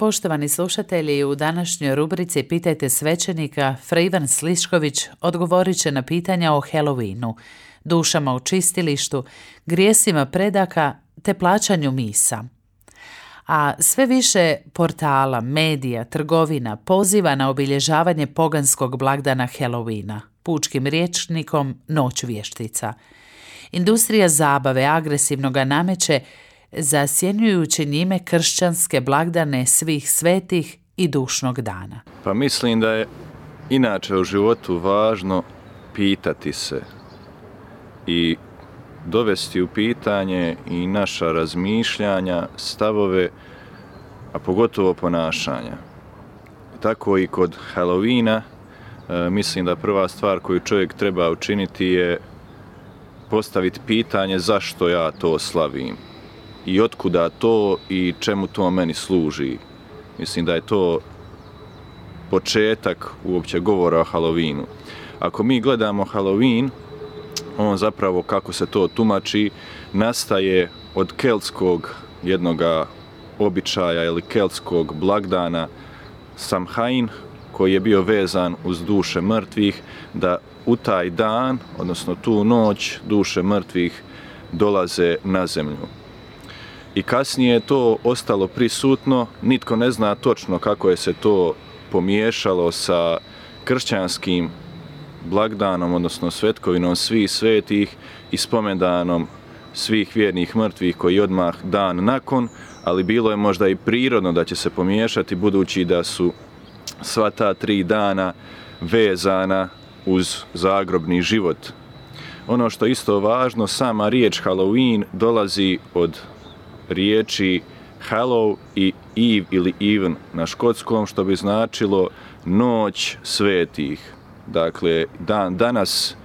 Poštovani slušatelji, u današnjoj rubrici Pitajte svećenika, Fra Ivan Slišković odgovorit će na pitanja o Halloweenu, dušama u čistilištu, grijesima predaka te plaćanju misa. A sve više portala, medija, trgovina poziva na obilježavanje poganskog blagdana Halloweena, pučkim rječnikom Noć vještica. Industrija zabave agresivno ga nameće, zasjenjujući njime kršćanske blagdane svih svetih i dušnog dana. Pa mislim da je inače u životu važno pitati se i dovesti u pitanje i naša razmišljanja, stavove, a pogotovo ponašanja. Tako i kod Halloweena, mislim da prva stvar koju čovjek treba učiniti je postaviti pitanje zašto ja to slavim i otkuda to i čemu to meni služi. Mislim da je to početak uopće govora o Halloweenu. Ako mi gledamo Halloween, on zapravo, kako se to tumači, nastaje od keltskog jednoga običaja ili keltskog blagdana Samhain, koji je bio vezan uz duše mrtvih, da u taj dan, odnosno tu noć, duše mrtvih dolaze na zemlju. I kasnije je to ostalo prisutno, nitko ne zna točno kako je se to pomiješalo sa kršćanskim blagdanom, odnosno svetkovinom svih svetih i spomendanom svih vjernih mrtvih koji odmah dan nakon, ali bilo je možda i prirodno da će se pomiješati budući da su sva ta 3 dana vezana uz zagrobni život. Ono što je isto važno, sama riječ Halloween dolazi od riječi Hallow i Eve ili Even na škotskom, što bi značilo noć svetih. Dakle, danas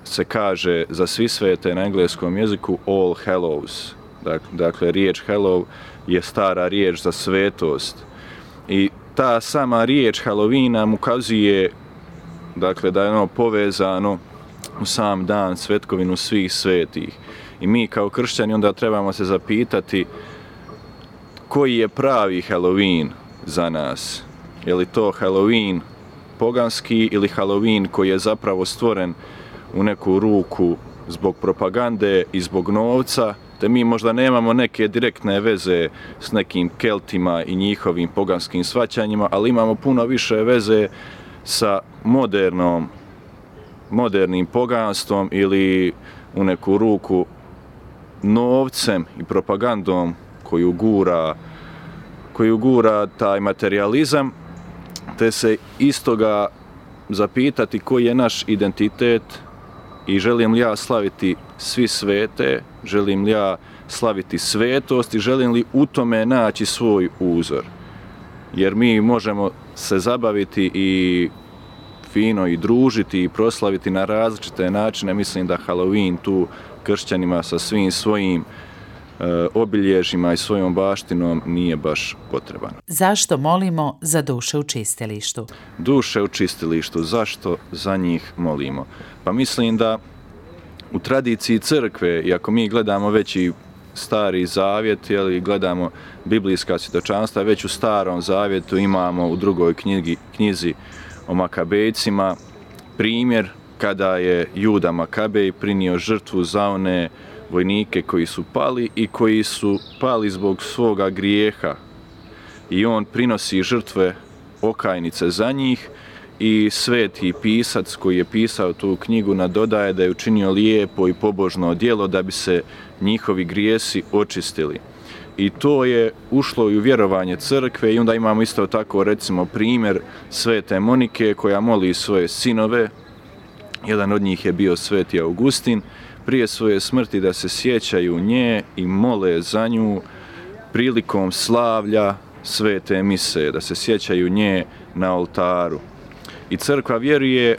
se kaže za svi svete na engleskom jeziku All Hallows. Dakle, riječ Hallow je stara riječ za svetost. I ta sama riječ Halloween nam ukazuje, dakle, da je ono povezano u sam dan svetkovinu svih svetih. I mi kao kršćani onda trebamo se zapitati koji je pravi Halloween za nas. Je li to Halloween poganski ili Halloween koji je zapravo stvoren u neku ruku zbog propagande i zbog novca, te mi možda nemamo neke direktne veze s nekim Keltima i njihovim poganskim shvaćanjima, ali imamo puno više veze sa modernim poganstvom ili u neku ruku novcem i propagandom koju gura taj materijalizam, te se istoga zapitati koji je naš identitet i želim li ja slaviti svi svete, želim li ja slaviti svetost i želim li u tome naći svoj uzor. Jer mi možemo se zabaviti i fino i družiti i proslaviti na različite načine. Mislim da Halloween tu kršćanima sa svim svojim obilježjima i svojom baštinom nije baš potreban. Zašto molimo za duše u čistilištu? Duše u čistilištu, zašto za njih molimo? Pa mislim da u tradiciji crkve, i ako mi gledamo već i Stari zavjet, ili gledamo biblijska svjedočanstva, već u Starom zavjetu imamo u drugoj knjizi o Makabejcima primjer kada je Juda Makabej prinio žrtvu za one vojnike koji su pali i koji su pali zbog svoga grijeha. I on prinosi žrtve okajnice za njih i sveti pisac koji je pisao tu knjigu nadodaje da je učinio lijepo i pobožno djelo da bi se njihovi grijesi očistili. I to je ušlo i u vjerovanje crkve i onda imamo isto tako recimo primjer svete Monike koja moli svoje sinove. Jedan od njih je bio sveti Augustin, prije svoje smrti da se sjećaju nje i mole za nju prilikom slavlja svete mise, da se sjećaju nje na oltaru. I crkva vjeruje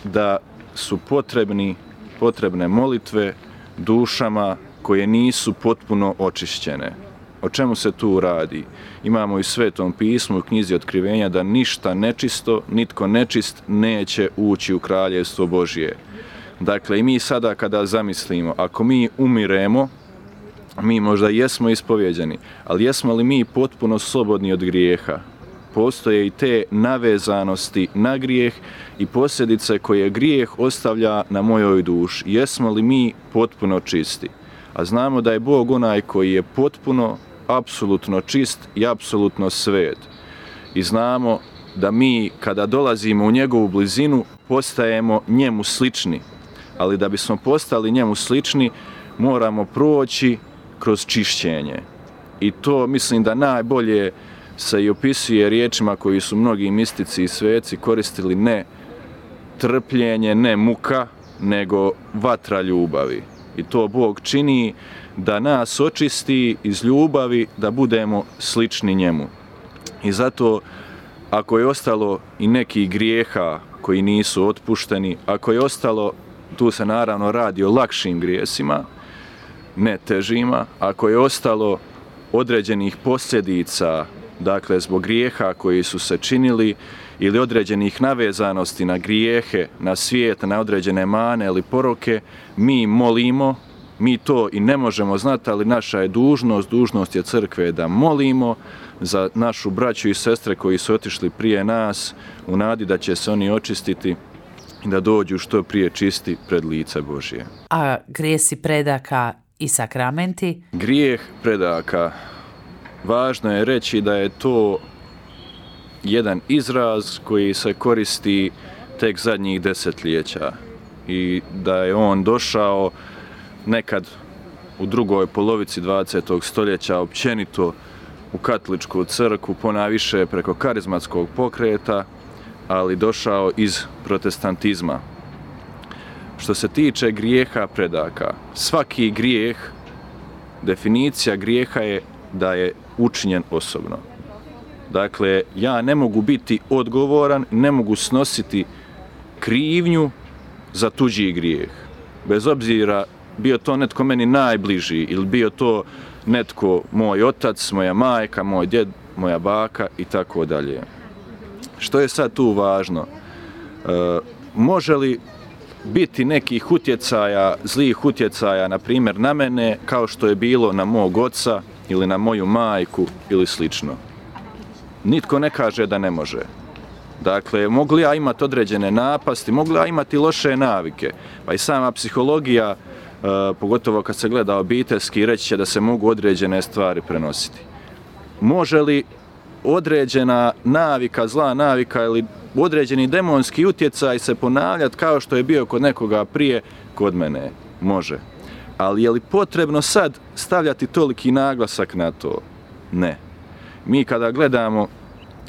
da su potrebne molitve dušama koje nisu potpuno očišćene. O čemu se tu radi? Imamo i u Svetom pismu u knjizi Otkrivenja da ništa nečisto, nitko nečist neće ući u kraljevstvo Božje. Dakle, i mi sada kada zamislimo, ako mi umiremo, mi možda jesmo ispovjeđeni, ali jesmo li mi potpuno slobodni od grijeha? Postoje i te navezanosti na grijeh i posljedice koje grijeh ostavlja na mojoj duši. Jesmo li mi potpuno čisti? A znamo da je Bog onaj koji je potpuno, apsolutno čist i apsolutno svet. I znamo da mi kada dolazimo u njegovu blizinu postajemo njemu slični. Ali da bismo postali njemu slični moramo proći kroz čišćenje. I to mislim da najbolje se i opisuje riječima koji su mnogi mistici i sveci koristili, ne trpljenje, ne muka, nego vatra ljubavi. I to Bog čini da nas očisti iz ljubavi, da budemo slični njemu. I zato, ako je ostalo i nekih grijeha koji nisu otpušteni, ako je ostalo, tu se naravno radi o lakšim grijesima, ne težima, ako je ostalo određenih posljedica, dakle zbog grijeha koji su se činili ili određenih navezanosti na grijehe, na svijet, na određene mane ili poroke, mi molimo, mi to i ne možemo znati, ali naša je dužnost je crkve da molimo za našu braću i sestre koji su otišli prije nas u nadi da će se oni očistiti i da dođu što prije čisti pred lice Božje. A grijesi predaka i sakramenti? Grijeh predaka. Važno je reći da je to jedan izraz koji se koristi tek zadnjih desetljeća i da je on došao nekad u drugoj polovici 20. stoljeća općenito u katoličku crkvu, ponajviše preko karizmatskog pokreta, ali došao iz protestantizma. Što se tiče grijeha predaka, svaki grijeh, definicija grijeha je da je učinjen osobno. Dakle, ja ne mogu biti odgovoran, ne mogu snositi krivnju za tuđi grijeh. Bez obzira bio to netko meni najbliži ili bio to netko moj otac, moja majka, moj djed, moja baka i tako dalje. Što je sad tu važno? Može li biti nekih utjecaja, zlih utjecaja, na primjer na mene, kao što je bilo na mog oca ili na moju majku ili slično? Nitko ne kaže da ne može. Dakle, mogu li ja imati određene napasti, mogu li ja imati loše navike? Pa i sama psihologija, pogotovo kad se gleda obiteljski, reći će da se mogu određene stvari prenositi. Može li određena navika, zla navika ili određeni demonski utjecaj se ponavljati kao što je bio kod nekoga prije, kod mene? Može. Ali je li potrebno sad stavljati toliki naglasak na to? Ne. Mi kada gledamo,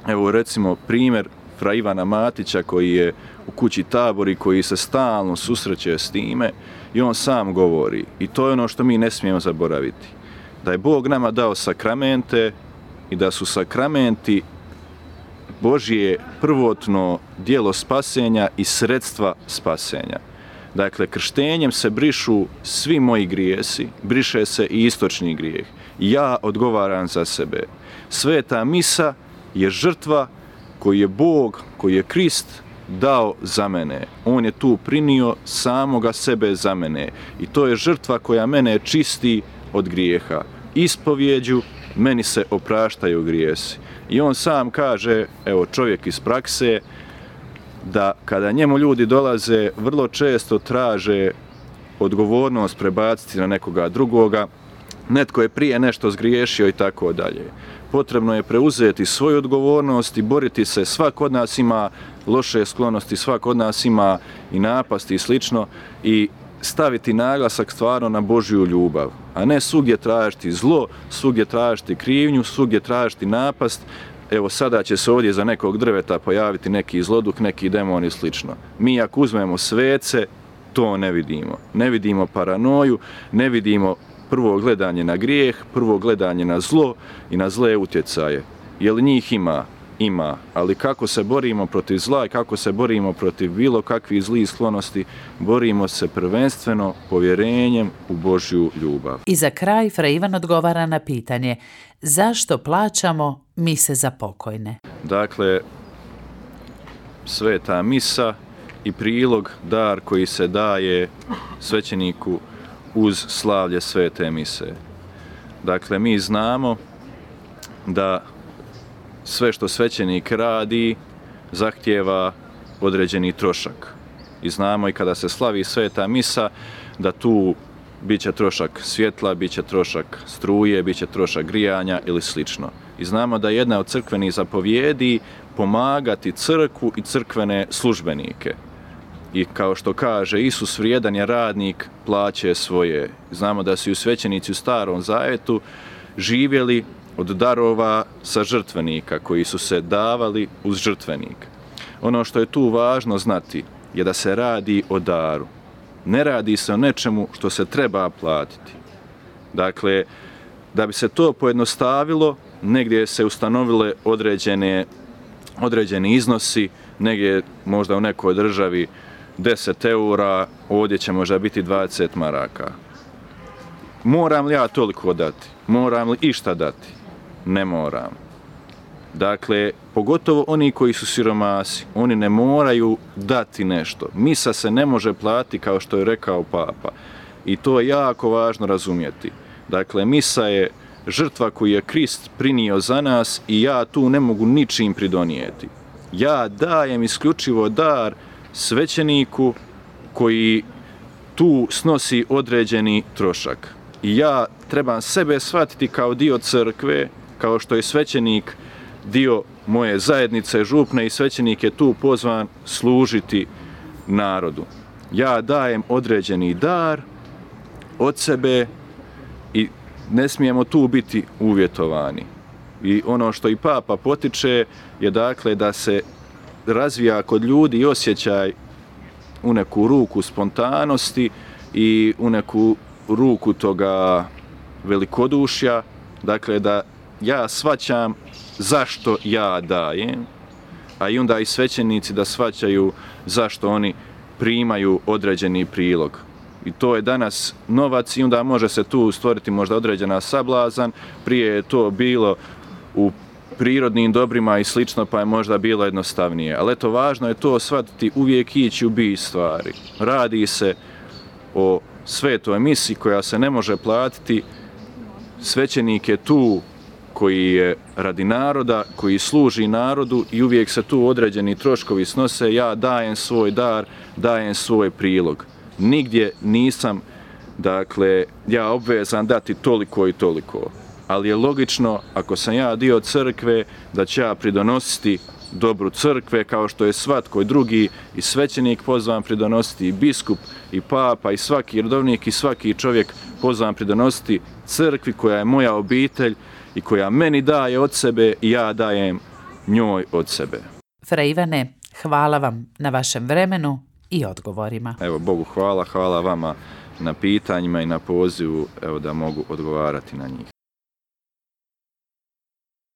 evo recimo primjer fra Ivana Matića koji je u kući Tabor i koji se stalno susreće s time i on sam govori, i to je ono što mi ne smijemo zaboraviti, da je Bog nama dao sakramente i da su sakramenti Božje prvotno djelo spasenja i sredstva spasenja. Dakle, krštenjem se brišu svi moji grijesi, briše se i istočni grijeh. Ja odgovaram za sebe. Sveta misa je žrtva koju je Bog, koji je Krist dao za mene. On je tu prinio samoga sebe za mene. I to je žrtva koja mene čisti od grijeha. Ispovjeđu meni se opraštaju grijesi. I on sam kaže, evo čovjek iz prakse, da kada njemu ljudi dolaze, vrlo često traže odgovornost prebaciti na nekoga drugoga, netko je prije nešto zgriješio i tako dalje. Potrebno je preuzeti svoju odgovornost i boriti se. Svak od nas ima loše sklonosti, svak od nas ima i napasti i slično i staviti naglasak stvarno na Božju ljubav, a ne svugdje tražiti zlo, svugdje tražiti krivnju, svugdje tražiti napast. Evo sada će se ovdje za nekog drveta pojaviti neki zloduh, neki demon i slično. Mi ako uzmemo svece, to ne vidimo. Ne vidimo paranoju, ne vidimo prvo gledanje na grijeh, prvo gledanje na zlo i na zle utjecaje. Je li njih ima? Ima. Ali kako se borimo protiv zla i kako se borimo protiv bilo kakvih zlih sklonosti, borimo se prvenstveno povjerenjem u Božju ljubav. I za kraj fra Ivan odgovara na pitanje: zašto plaćamo mise za pokojne? Dakle, sveta misa i prilog, dar koji se daje svećeniku uz slavlje svete mise. Dakle, mi znamo da sve što svećenik radi zahtijeva određeni trošak. I znamo i kada se slavi sveta misa da tu bit će trošak svjetla, bit će trošak struje, bit će trošak grijanja ili slično. I znamo da je jedna od crkvenih zapovjedi pomagati crkvu i crkvene službenike. I kao što kaže Isus, vrijedan je radnik plaće svoje. Znamo da su i svećenici u Starom Zavjetu živjeli od darova sa žrtvenika koji su se davali uz žrtvenik. Ono što je tu važno znati je da se radi o daru. Ne radi se o nečemu što se treba platiti. Dakle, da bi se to pojednostavilo, negdje se ustanovile određeni iznosi, negdje možda u nekoj državi 10 eura, ovdje će možda biti 20 maraka. Moram li ja toliko dati? Moram li išta dati? Ne moram. Dakle, pogotovo oni koji su siromasi, oni ne moraju dati nešto. Misa se ne može platiti kao što je rekao Papa. I to je jako važno razumjeti. Dakle, misa je žrtva koju je Krist prinio za nas i ja tu ne mogu ničim pridonijeti. Ja dajem isključivo dar svećeniku koji tu snosi određeni trošak. I ja trebam sebe shvatiti kao dio crkve, kao što je svećenik dio moje zajednice župne i svećenik je tu pozvan služiti narodu. Ja dajem određeni dar od sebe i ne smijemo tu biti uvjetovani. I ono što i Papa potiče je dakle da se razvija kod ljudi osjećaj u neku ruku spontanosti i u neku ruku toga velikodušja, dakle da ja shvaćam zašto ja dajem, a i onda i svećenici da shvaćaju zašto oni primaju određeni prilog. I to je danas novac i onda može se tu stvoriti možda određena sablazan, prije je to bilo u prirodnim dobrima i slično, pa je možda bilo jednostavnije. Ali eto, važno je to shvatiti, uvijek ići u bit stvari. Radi se o svetoj misi koja se ne može platiti, svećenik je tu koji je radi naroda, koji služi narodu i uvijek se tu određeni troškovi snose, ja dajem svoj dar, dajem svoj prilog. Nigdje nisam, dakle, ja obvezan dati toliko i toliko. Ali je logično, ako sam ja dio crkve, da će ja pridonositi dobru crkve, kao što je svatko drugi i svećenik pozvan pridonositi, i biskup, i papa, i svaki redovnik, i svaki čovjek pozvan pridonositi crkvi koja je moja obitelj i koja meni daje od sebe i ja dajem njoj od sebe. Fra Ivane, hvala vam na vašem vremenu i odgovorima. Evo, Bogu hvala, hvala vama na pitanjima i na pozivu, evo, da mogu odgovarati na njih.